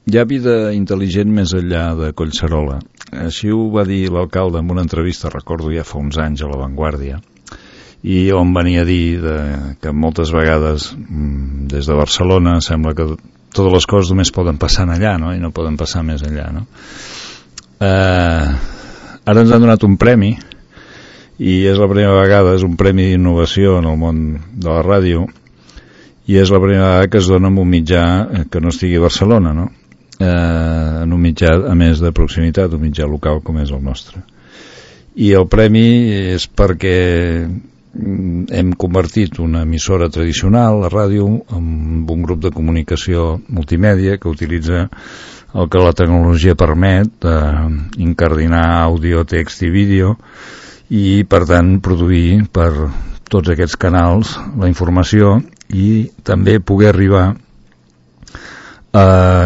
hi ha vida intel·ligent més enllà de Collserola. Així ho va dir l'alcalde en una entrevista, recordo ja fa uns anys, a La Vanguardia, i on venia a dir que moltes vegades des de Barcelona sembla que totes les coses només poden passar allà, no? I no poden passar més enllà, no? Ara ens han donat un premi, i és la primera vegada, és un premi d'innovació en el món de la ràdio, i és la primera vegada que es dona en un mitjà que no estigui a Barcelona, no? En un mitjà, a més de proximitat, un mitjà local com és el nostre. I el premi és perquè hem convertit una emissora tradicional, la ràdio, en un grup de comunicació multimèdia que utilitza el que la tecnologia permet, incardinar àudio, text i vídeo, i per tant produir per tots aquests canals la informació i també poder arribar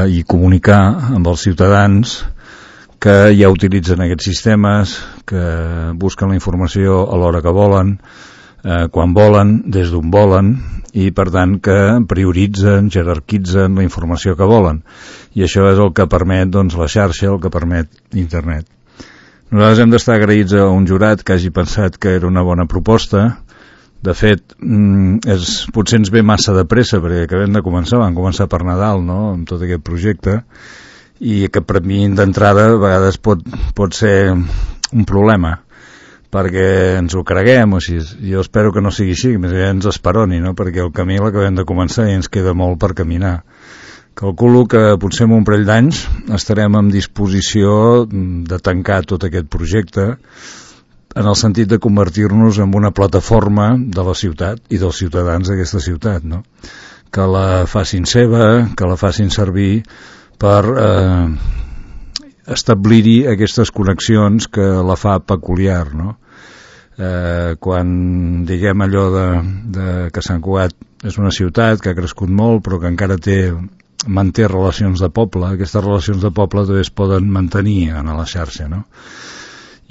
i comunicar amb els ciutadans que ja utilitzen aquests sistemes, que busquen la informació a l'hora que volen, quan volen, des d'on volen, i per tant que prioritzen, jerarquitzen la informació que volen. I això és el que permet, doncs, la xarxa, el que permet internet. Nosaltres hem d'estar agraïts a un jurat que hagi pensat que era una bona proposta. De fet, potser ens ve massa de pressa, perquè acabem de començar, vam començar per Nadal, no?, amb tot aquest projecte, i que per mi d'entrada a vegades pot ser un problema, perquè ens ho creguem, o sigui, jo espero que no sigui així, més aviat ens esperoni, no?, perquè el camí l'acabem de començar i ens queda molt per caminar. Calculo que potser en un parell d'anys estarem en disposició de tancar tot aquest projecte en el sentit de convertir-nos en una plataforma de la ciutat i dels ciutadans d'aquesta ciutat, no? Que la facin seva, que la facin servir per establir-hi aquestes connexions que la fa peculiar, no? Quan diguem allò que Sant Cugat és una ciutat que ha crescut molt però que encara manté relacions de poble, aquestes relacions de poble també es poden mantenir en la xarxa, no?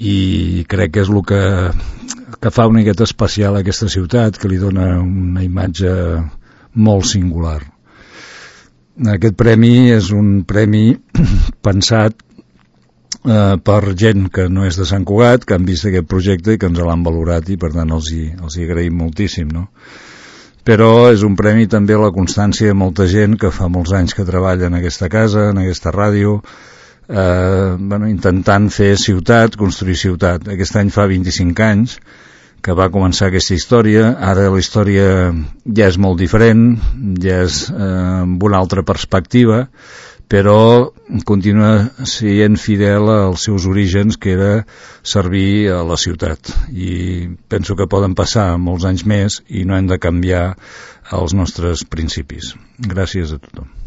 I crec que és el que fa una miqueta especial a aquesta ciutat, que li dona una imatge molt singular. Aquest premi és un premi pensat per gent que no és de Sant Cugat, que han vist aquest projecte i que ens l'han valorat, i per tant els hi agraïm moltíssim, no? Però és un premi també a la constància de molta gent que fa molts anys que treballa en aquesta casa, en aquesta ràdio, intentant fer ciutat, construir ciutat. Aquest any fa 25 anys que va començar aquesta història. Ara la història ja és molt diferent, ja és amb una altra perspectiva, però continua sent fidel als seus orígens, que era servir a la ciutat. I penso que poden passar molts anys més i no hem de canviar els nostres principis. Gràcies a tothom.